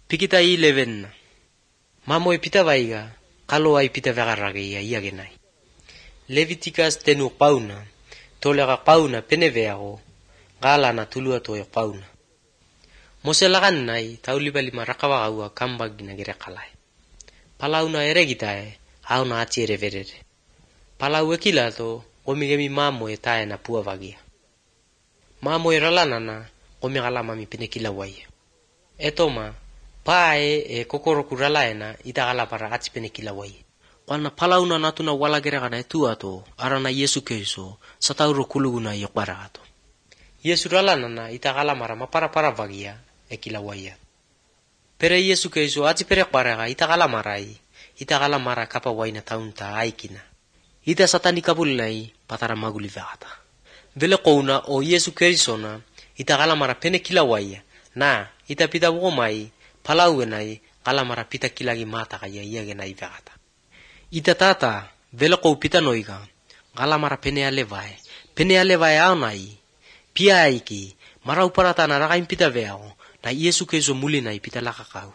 Pikita 11. Mamoe pita vaiga, kalo ai pita vegarage ia genai. Leviticus tenu pauna, tolega pauna peneveago, gala na tulua to pauna. Mose lagan nai, taulibali marakawa gaua kambagina gere kalai. Palauna eregitae, auna ati ereverere. Palau ekilato, gomigemi mamoe tae na pua vagia. Mamoe ralanana, gomigalamami penekila waia. Etoma, pae e kokoroku ralaena itagala para ati penekila waia. Kwana palauna natuna wala geregana etuato, arana Yesu Keriso, satauro kuluguna yokbarato. Yesu ralanana itagala mara mapara vagia, ekila waia. Pere Yesu Keriso ati pere kbaraga itagala mara kapa waina taunta aikina. Ita satani kabulnai patara maguli vegata. Vele kouna o Yesu Kerisona itagala mara penekila waia, na ita pita womai palauenai kala mara pita kilagi mata kaya iagenai vegata. Ita tata vele kou pita noiga kala mara penea levae aunai pia aiki mara uparata na ragain pita veao na Yesu Keriso mulinai pita lakakau.